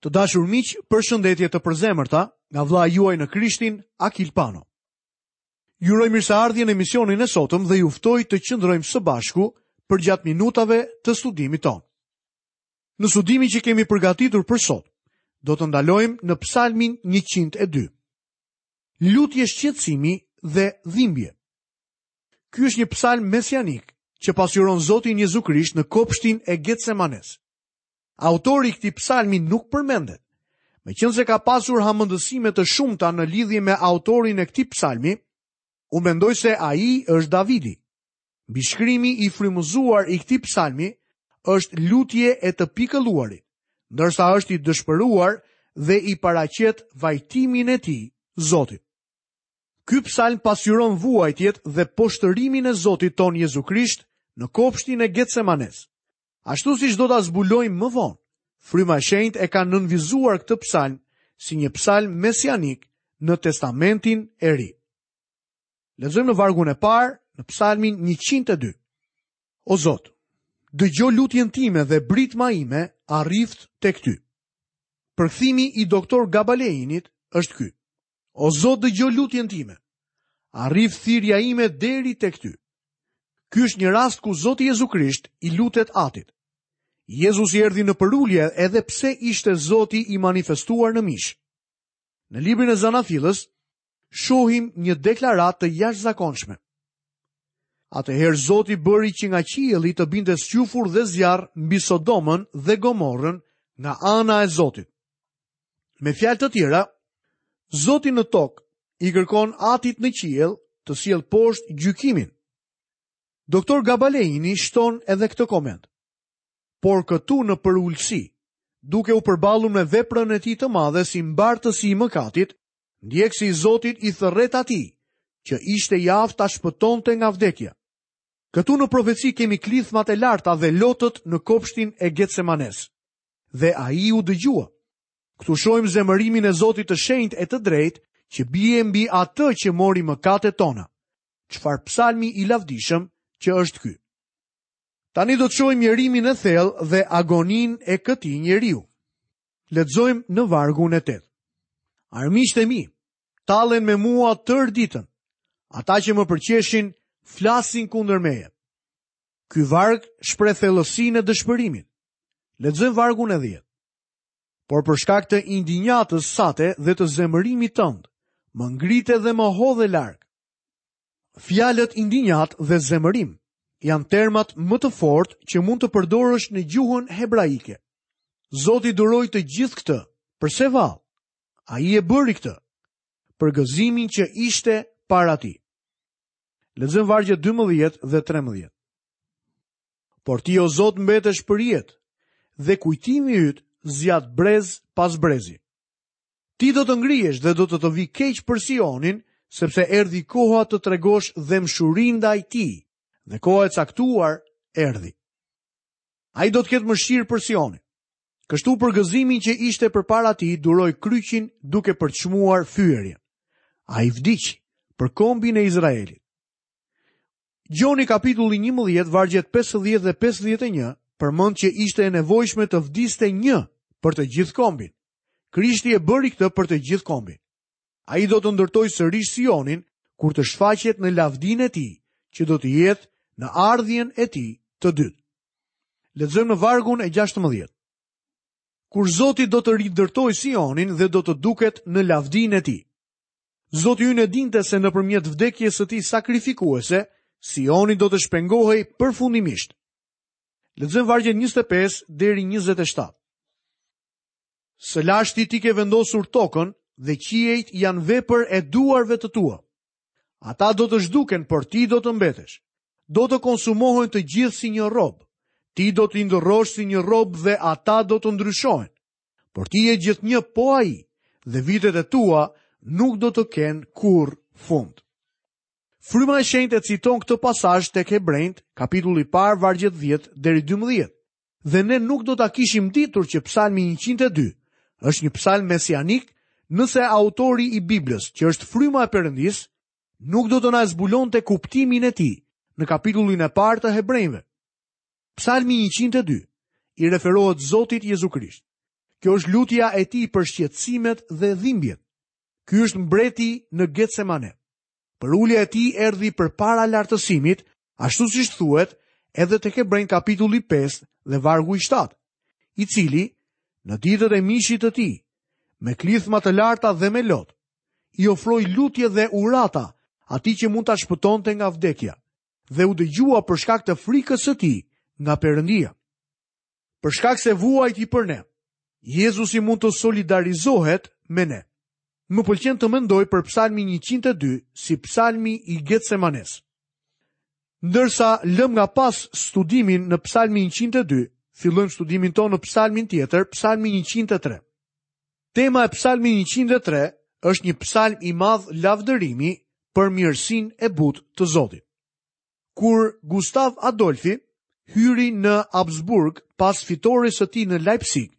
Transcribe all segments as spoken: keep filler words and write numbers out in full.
Të dashur miq, përshëndetje të përzemërta nga vëllai juaj në Krishtin, Akil Pano. Ju uroj mirëseardhje në emisionin e sotëm dhe ju ftoj të qëndrojmë së bashku përgjatë minutave të studimit tonë. Në studimin që kemi përgatitur për sot, do të ndalojmë në Psalmin njëqind e dy. Lutje shqetësimi dhe dhimbje. Ky është një psalm mesianik që pasqyron Zotin Jezu Krisht në kopshtin e Getsemanes. Autori i këtij psalmi nuk përmendet. Meqense ka pasur hamendësime të shumta në lidhje me autorin e këtij psalmi, unë mendoj se ai është Davidi. Mbishkrimi i frymëzuar i këtij psalmi është lutje e të pikëlluarit, ndërsa është i dëshpëruar dhe i paraqet vajtimin e tij Zotit. Ky psalm pasqyron vuajtjet dhe poshtërimin e Zotit ton Jezu Krisht në kopshtin e Getsemanes. Ashtu siç do ta zbulojmë më vonë, Fryma e Shenjtë e ka nënvizuar këtë psalm si një psalm mesianik në Testamentin e Ri. Lexojmë në vargun e parë në Psalmin njëqind e dy. O Zot, dëgjo lutjen time dhe britma ime arrift tek ty. Përkthimi i doktor Gabaleinit është ky. O Zot, dëgjo lutjen time. Arrift thirrja ime deri tek ty. Ky është një rast ku Zoti Jezu Krisht i lutet Atit. Jezusi erdhi në përulje edhe pse ishte Zoti i manifestuar në mish. Në librin e Zanafillës shohim një deklaratë të jashtëzakonshme. Atëherë Zoti bëri që nga qielli të binte squfur dhe zjarr mbi Sodomën dhe Gomorrën nga ana e Zotit. Me fjalë të tjera, Zoti në tokë i kërkon Atit në qiell të sjellë poshtë gjykimin. Doktor Gabaleini shton edhe këtë koment. Por këtu në përulësi, duke u përballur me veprën e tij të madhe si mbartësi i mëkatit, ndjekësi i Zotit i thërret atij, që ishte i aftë ta shpëtonte nga vdekja. Këtu në profeci kemi klithmat e larta dhe lotët në kopshtin e Getsemanes. Dhe ai u dëgjua. Këtu shohim zemërimin e Zotit të shenjtë e të drejtë që bie mbi atë që mori mëkatet tona. Çfarë psalmi i lavdishëm që është ky. Tani do të shohim mjerimin e thellë dhe agoninë e këtij njeriu. Lexojmë në vargun e tetë. Armiqtë e mi tallen me mua tërë ditën. Ata që më përqeshin flasin kundër meje. Ky varg shpreh thellësinë e dëshpërimit. Lexojmë vargun e dhjetë. Por për shkak të indinjatës sate dhe të zemërimit tënd, më ngrite dhe më hodhe larg. Fjalët indinjat dhe zemërim janë termat më të fortë që mund të përdorësh në gjuhën hebraike. Zoti duroi të gjithë këtë. Përse vallë? Ai e bëri këtë për gëzimin që ishte para tij. Lexojmë vargjet dymbëdhjetë dhe trembëdhjetë. Por ti, o Zot, mbetesh për jetë dhe kujtimi yt zgjat brez pas brezi. Ti do të ngrihesh dhe do të të vi keq për Sionin, sepse erdhi koha të tregosh dhembshurinë ndaj tij, dhe koha e caktuar erdhi. Ai do të ketë mëshirë për Sionin. Kështu për gëzimin që ishte përpara tij, duroi kryqin duke përçmuar fyerjen. Ai vdiq për kombin e Izraelit. Gjoni kapitulli njëmbëdhjetë, vargjet pesëdhjetë dhe pesëdhjetë e një, përmend që ishte e nevojshme të vdiste një për të gjithë kombin. Krishti e bëri këtë për të gjithë kombin. Ai do të ndërtojë sërish Sionin kur të shfaqet në lavdinë e tij, që do të jetë në ardhjen e tij të dytë. Lexojmë në vargun e gjashtëmbëdhjetë. Kur Zoti do të rindërtojë Sionin dhe do të duket në lavdinë e tij. Zoti ynë e dinte se nëpërmjet vdekjes së tij sakrifikuese, Sioni do të shpengohej përfundimisht. Lexojmë vargjet njëzet e pesë deri njëzet e shtatë. Së lashti ti ke vendosur tokën dhe qiejt janë vepër e duarve të tua. Ata do të zhduken, por ti do të mbetesh. Do të konsumohen të gjithë si një rob. Ti do t'i ndërrosh si një rob dhe ata do të ndryshohen. Por ti je gjithnjë po ai dhe vitet e tua nuk do të kenë kurrë fund. Fryma e Shenjtë e citon këtë pasazh tek Hebrejt, kapitulli i parë, vargjet dhjetë deri dymbëdhjetë. Dhe ne nuk do ta kishim ditur që Psalmi njëqind e dy është një psalm mesianik nëse autori i Biblës, që është fryma e Perëndisë, nuk do të na zbulonte kuptimin e tij në kapitullin e parë të Hebrejve. Psalmi njëqind e dy i referohet Zotit Jezu Krisht. Kjo është lutja e tij për shqetësimet dhe dhimbjet. Ky është mbreti në Getsemane. Përulja e tij erdhi përpara lartësimit, ashtu siç thuhet edhe tek Hebrenj kapitulli pesë dhe vargu i shtatë, i cili në ditët e mishit të tij, me klithma të larta dhe me lot, i ofroi lutje dhe urata atij që mund ta shpëtonte nga vdekja, dhe u dëgjua për shkak të frikës së tij nga Perëndia. Për shkak se vuajti për ne, Jezusi mund të solidarizohet me ne. Më pëlqen të mendoj për Psalmin njëqind e dy si Psalmi i Getsemanes. Ndërsa lëm nga pas studimin në Psalmin njëqind e dy, fillojmë studimin tonë në Psalmin tjetër, Psalmin njëqind e tre. Tema e Psalmit njëqind e tre është një psalm i madh lavdërimi për mirësinë e butë të Zotit. Kur Gustav Adolfi hyri në Habsburg pas fitores së tij në Leipzig,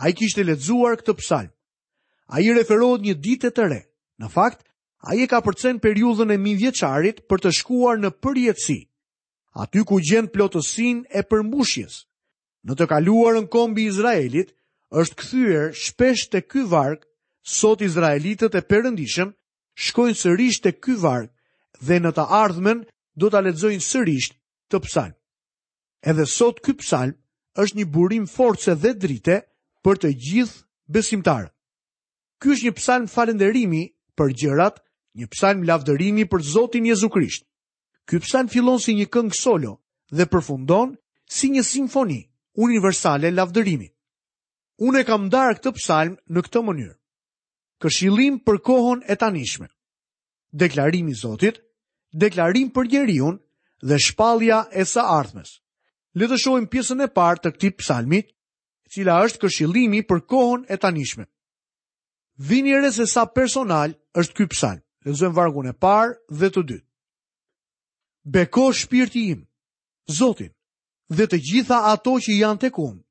ai kishte lexuar këtë psalm. Ai i referohet një dite të re. Në fakt, ai e ka përcen periudhën e mijëvjeçarit për të shkuar në përjetësi, aty ku gjen plotësinë e përmbushjes. Në të kaluarën kombi i Izraelit është kthyer shpesh te ky varg, sot izraelitët e perëndishëm shkojnë sërish te ky varg dhe në të ardhmen do ta lexojnë sërish këtë psalm. Edhe sot ky psalm është një burim force dhe drite për të gjithë besimtarët. Ky është një psalm falënderimi për gjërat, një psalm lavdërimi për Zotin Jezu Krisht. Ky psalm fillon si një këngë solo dhe përfundon si një simfoni universale lavdërimi. Unë e kam ndarë këtë psalm në këtë mënyrë. Këshillim për kohën e tanishme, deklarimi i Zotit, deklarim për njeriun dhe shpallja e së ardhmes. Le të shohim pjesën e parë të këtij psalmi, e cila është këshillimi për kohën e tanishme. Vini re se sa personal është ky psalm. Lexojmë vargun e parë dhe të dytë. Beko shpirti im, Zotin, dhe të gjitha ato që janë tek unë,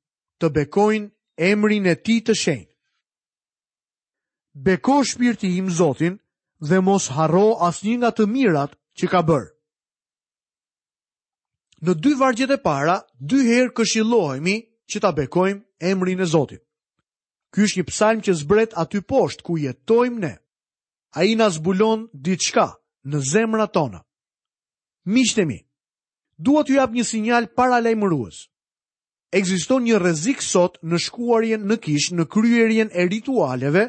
të bekojnë emrin e tij të shenjtë. Beko shpirti im Zotin dhe mos harro asnjë nga të mirat që ka bërë. Në dy vargjet e para, dy herë këshillohemi që ta bekojmë emrin e Zotit. Ky është një psalm që zbret aty poshtë ku jetojmë ne. Ai na zbulon diçka në zemrat tona. Miqtë e mi, dua t'ju jap një sinjal paralajmërues. Ekziston një rrezik sot në shkuarjen në kishë, në kryerjen e ritualeve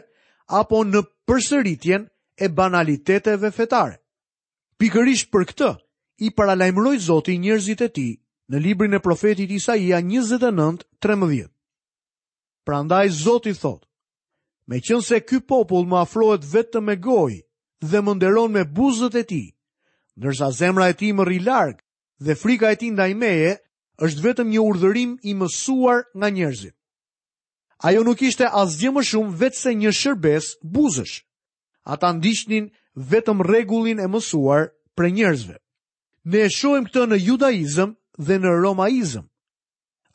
apo në përsëritjen e banaliteteve fetare. Pikërisht për këtë i paralajmëroi Zoti njerëzit e tij në librin e profetit Isaia njëzet e nëntë trembëdhjetë. Prandaj Zoti thotë: meqense ky popull më afrohet vetëm me gojë dhe më nderon me buzët e tij, ndërsa zemra e tij më rri larg dhe frika e tij ndaj meje është vetëm një urdhërim i mësuar nga njerëzit. Ajo nuk ishte asgjë më shumë veçse një shërbes buzësh. Ata ndiqnin vetëm rregullin e mësuar prej njerëzve. Ne e shohim këtë në judaizëm dhe në romaizëm.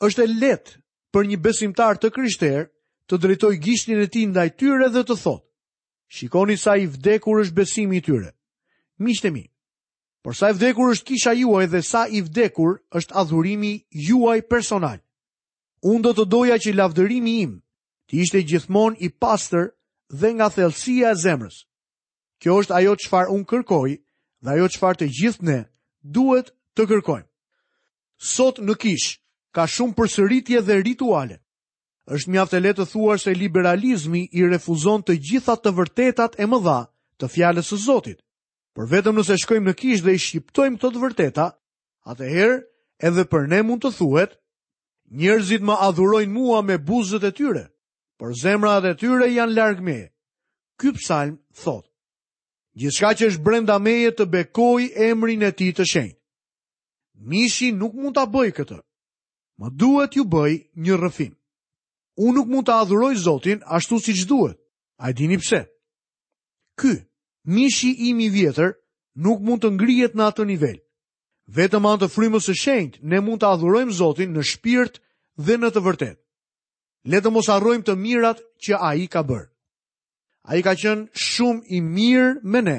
Është e lehtë për një besimtar të krishterë të drejtojë gishtin e tij ndaj tyre dhe të thotë: Shikoni sa i vdekur është besimi i tyre. Miqtë e mi, por sa i vdekur është kisha juaj dhe sa i vdekur është adhurimi juaj personal. Unë do të doja që lavdërimi im të ishte gjithmonë i pastër dhe nga thellësia e zemrës. Kjo është ajo çfarë unë kërkoj dhe ajo çfarë të gjithë ne duhet të kërkojmë. Sot në kishë ka shumë përsëritje dhe rituale. Është mjaft e lehtë të thuash se liberalizmi i refuzon të gjitha të vërtetat e mëdha të fjalës së Zotit. Por vetëm nëse shkojmë në kishë dhe i shqiptojmë këto të vërteta, atëherë edhe për ne mund të thuhet: njerëzit më adhurojnë mua me buzët e tyre, por zemrat e tyre janë larg meje. Ky psalm thotë: gjithçka që është brenda meje të bekoj emrin e tij të shenjtë. Mishi nuk mund ta bëj këtë. Më duhet t'ju bëj një rrëfim. Unë nuk mund ta adhuroj Zotin ashtu siç duhet. A e dini pse? Ky, mishi im i vjetër, nuk mund të ngrihet në atë nivel. Vetëm anë të frymës së shenjtë ne mund të adhurojmë Zotin në shpirt dhe në të vërtetë. Le të mos harrojmë të mirat që ai ka bërë. Ai ka qenë shumë i mirë me ne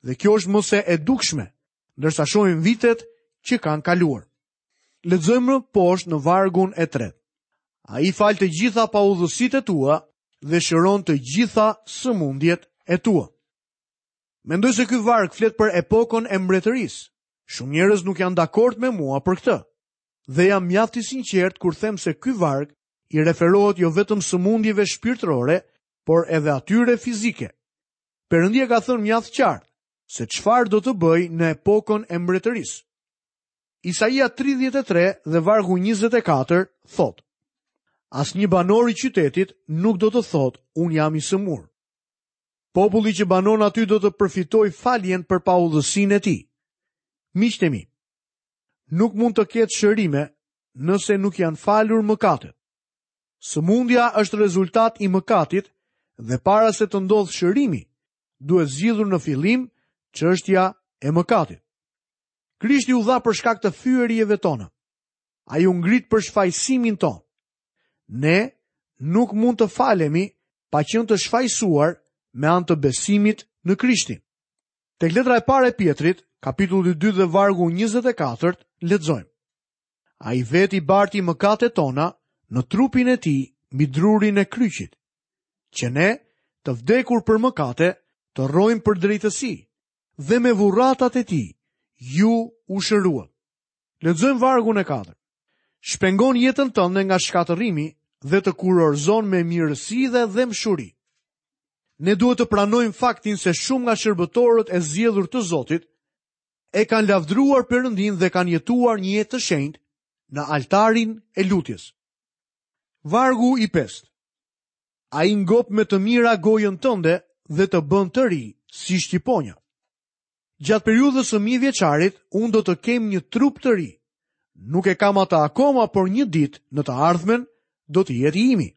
dhe kjo është më se e dukshme, ndërsa shohim vitet që kanë kaluar. Lexojmë më poshtë në vargun e tretë. Ai fal të gjitha paudhësitë e tua dhe shëron të gjitha sëmundjet e tua. Mendoj se ky varg flet për epokën e mbretërisë. Shumë njerëz nuk janë dakord me mua për këtë. Dhe jam mjaft i sinqert kur them se ky varg i referohet jo vetëm sëmundjeve shpirtërore, por edhe atyre fizike. Perëndia ka thënë mjaft qartë se çfarë do të bëjë në epokën e mbretërisë. Isaia tridhjetë e tre dhe vargu njëzet e katër thotë: Asnjë banor i qytetit nuk do të thotë, unë jam i sëmur. Populli që banon aty do të përfitojë faljen për paudhësinë e tij. Miqtë e mi, nuk mund të ketë shërime nëse nuk janë falur mëkatet. Sëmundja është rezultat i mëkatit dhe para se të ndodhë shërimi, duhet zgjidhur në fillim çështja e mëkatit. Krishti u dha për shkak të fyerjeve tona. Ai u ngrit për shfajësimin tonë. Ne nuk mund të falemi pa qenë të shfajësuar me anë të besimit në Krishtin. Tek letra e parë e Pietrit, kapitulli dy dhe vargu njëzet e katër, lexojmë: Ai vetë i barti mëkatet tona në trupin e tij mbi drurin e kryqit, që ne, të vdekur për mëkate, të rrojmë për drejtësi, dhe me vurratat e tij ju u shëruat. Lexojmë vargun e katërt. Shpengon jetën tënde nga shkatërrimi dhe të kurorzon me mirësi dhe dhembshuri. Ne duhet të pranojmë faktin se shumë nga shërbëtorët e zgjedhur të Zotit e kanë lavdruar Perëndin dhe kanë jetuar një jetë të shenjtë në altarin e lutjes. Vargu i pestë. Ai ngop me të mira gojën tënde dhe të bën të ri si shqiponja. Gjatë periudhës së mijëvjeçarit, unë do të kem një trup të ri. Nuk e kam atë akoma, por një ditë në të ardhmen do të jetë i imi.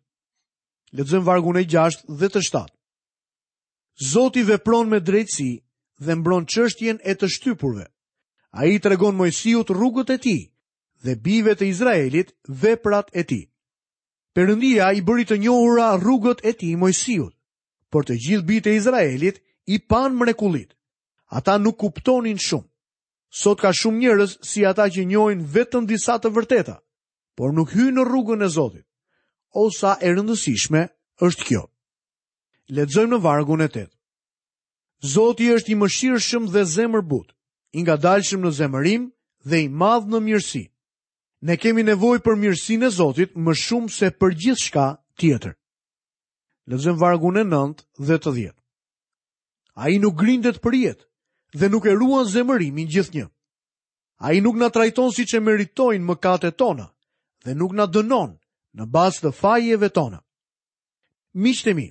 Lexojmë vargun e gjashtë dhe të shtatë. Zoti vepron me drejtësi dhe mbron çështjen e të shtypurve. Ai tregon Moisiut rrugët e tij dhe bijve të Izraelit veprat e tij. Perëndia i bëri të njohura rrugët e tij Moisiut, por të gjithë bijtë e Izraelit i panë mrekullit. Ata nuk kuptonin shumë. Sot ka shumë njerëz si ata që njohin vetëm disa të vërteta, por nuk hyjnë në rrugën e Zotit. O sa e rëndësishme është kjo. Lexojmë në vargun e tetë. Zoti është i mëshirshëm dhe zemërbutë, i ngadalshëm në zemërim dhe i madh në mirësi. Ne kemi nevojë për mirësinë e Zotit më shumë se për gjithçka tjetër. Lexojmë vargun e nëntë dhe të dhjetë. Ai nuk grindet për jetë dhe nuk e ruan zemërimin gjithnjë. Ai nuk na trajton siç e meritojnë mëkatet tona dhe nuk na dënon në bazë të fajeve tona. Miqtë e mi,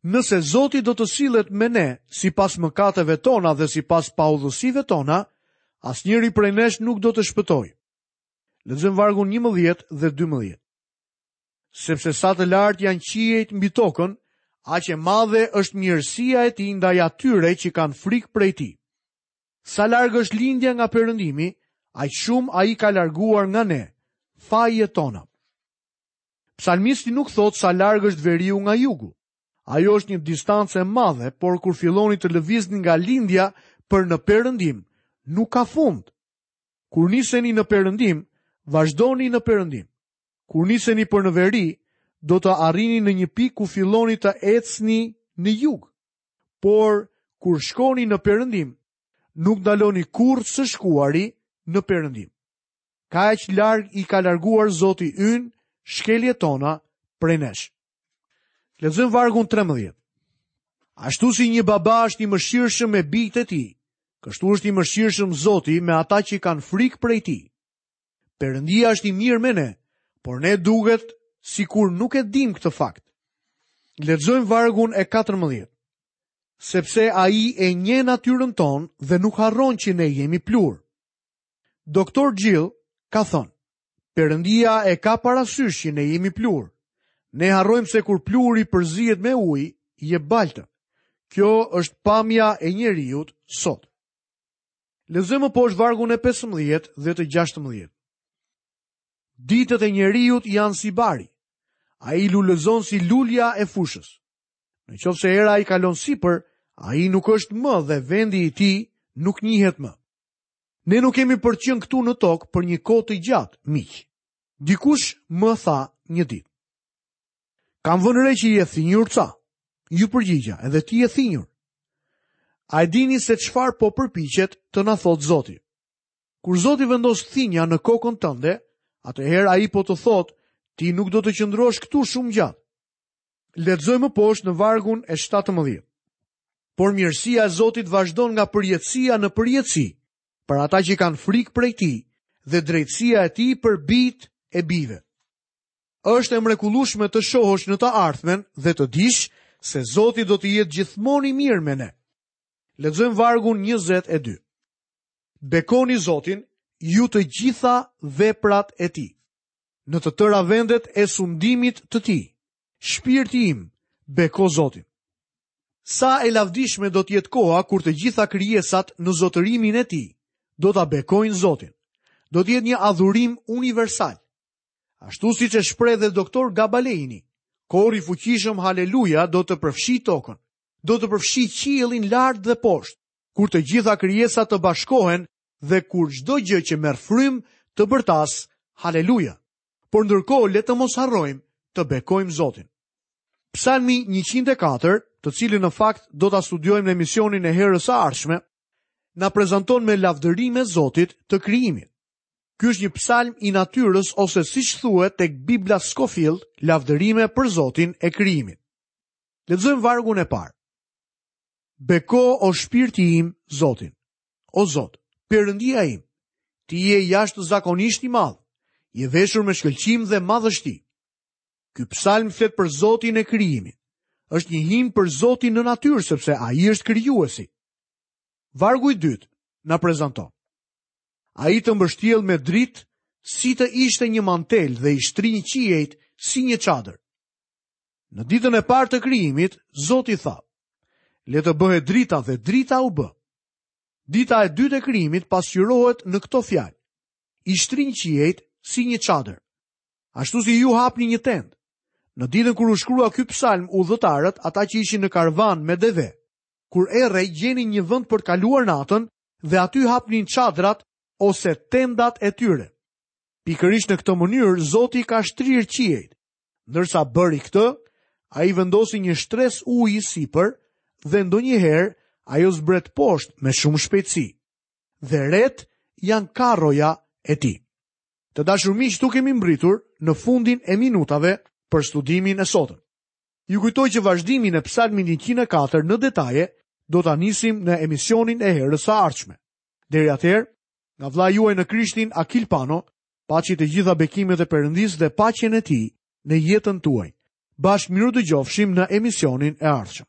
nëse Zoti do të sillet me ne sipas mëkateve tona dhe sipas paudhësive tona, asnjëri prej nesh nuk do të shpëtojë. Lexojmë vargun njëmbëdhjetë dhe dymbëdhjetë. Sepse sa të lartë janë qiejt mbi tokën, aq e madhe është mirësia e tij ndaj atyre që kanë frikë prej tij. Sa larg është lindja nga perëndimi, aq shumë ai ka larguar nga ne fajet tona. Psalmisti nuk thotë sa larg është veriu nga jugu. Ajo është një distancë e madhe, por kur filloni të lëvizni nga lindja për në perëndim, nuk ka fund. Kur niseni në perëndim, vazhdoni në perëndim. Kur niseni për në veri, do të arrini në një pikë ku filloni të ecni në jug. Por kur shkoni në perëndim, nuk ndaloni kurrë së shkuari në perëndim. Kaq larg i ka larguar Zoti ynë shkeljet tona prej nesh. Lexojmë vargun trembëdhjetë. Ashtu si një baba është i mëshirshëm me bijtë e tij, kështu është i mëshirshëm Zoti me ata që kanë frikë prej tij. Perëndia është i mirë me ne, por ne duket sikur nuk e dim këtë fakt. Lexojmë vargun e katërmbëdhjetë. Sepse ai e njeh natyrën tonë dhe nuk harron që ne jemi plur. Doktor Gill ka thënë, Perëndia e ka parasysh që ne jemi plur. Ne harrojmë se kur pluri përzihet me ujë, jep baltë. Kjo është pamja e njeriut sot. Lexojmë më poshtë vargun e pesëmbëdhjetë dhe të gjashtëmbëdhjetë. Ditët e njeriut janë si bari. Ai lulëzon si lulja e fushës. Në qoftë se era i kalon sipër, ai nuk është më dhe vendi i tij nuk njihet më. Ne nuk kemi për të qenë këtu në tokë për një kohë të gjatë, miq. Dikush më tha një ditë. Kam vënë re që je thinjur ca. Ju përgjigja, edhe ti je thinjur. A e dini se çfarë po përpiqet të na thotë Zoti? Kur Zoti vendos thinja në kokën tënde, atëherë ai po të thotë, ti nuk do të qëndrosh këtu shumë gjatë. Lexojmë më poshtë në vargun e shtatëmbëdhjetë. Por mirësia e Zotit vazhdon nga përjetësia në përjetësi, për ata që kanë frikë prej tij, dhe drejtësia e tij për bijtë e bijve. Është e mrekullueshme të shohësh në të ardhmen dhe të dish se Zoti do të jetë gjithmonë i mirë me ne. Lexojmë vargun njëzet e dy. Bekoni Zotin, ju të gjitha veprat e tij, në të tëra vendet e sundimit të tij. Shpirti im, beko Zotin. Sa e lavdishme do të jetë koha kur të gjitha krijesat në zotërimin e tij do ta bekojnë Zotin. Do të jetë një adhurim universal. Ashtu siç e shpreh dhe doktor Gabaleini, kori i fuqishëm Haleluja do të përfshijë tokën, do të përfshijë qiellin lart dhe poshtë, kur të gjitha krijesat të bashkohen dhe kur çdo gjë që merr frymë të bërtas Haleluja. Por ndërkohë le të mos harrojmë të bekojmë Zotin. Psalmi njëqind e katër, të cilin në fakt do ta studiojmë në emisionin e herës së ardhshme, na prezanton me lavdërime Zotit të krijimit. Ky është një psalm i natyrës ose siç thuhet tek Bibla Scofield, lavdërime për Zotin e krijimit. Lexojmë vargun e parë. Beko o shpirti im Zotin. O Zot, Perëndia im, ti je jashtëzakonisht i madh, je veshur me shkëlqim dhe madhështi. Ky psalm flet për Zotin e krijimit. Është një himn për Zotin në natyrë sepse ai është krijuesi. Vargu i dytë na prezanton. Ai të mbështjell me dritë si të ishte një mantel dhe i shtrin qiejt si një çadër. Në ditën e parë të krijimit, Zoti tha: Le të bëhet drita dhe drita u bë. Dita e dytë e krijimit pasqyrohet në këto fjalë: I shtrin qiejt si një çadër. Ashtu si ju hapni një tendë. Në ditën kur u shkrua ky psalm, udhëtarët, ata që ishin në karvan me deve, kur errej gjenin një vend për të kaluar natën dhe aty hapnin çadrat ose tendat e tyre. Pikërisht në këtë mënyrë Zoti ka shtrirë qiejt. Ndërsa bëri këtë, ai vendosi një shtresë uji sipër dhe ndonjëherë ajo zbret poshtë me shumë shpejtësi. Dhe ret janë karroja e tij. Të dashur miq, këtu kemi mbritur në fundin e minutave për studimin e sotëm. Ju kujtoj që vazhdimin e psalmit njëqind e katër në detaje do ta nisim në emisionin e herës së ardhshme. Deri atëherë, nga vëllai juaj në Krishtin Akil Pano, paçi të gjitha bekimet e Perëndisë dhe paqen e tij në jetën tuaj. Bashkë mirudëgjofshim në emisionin e ardhshëm.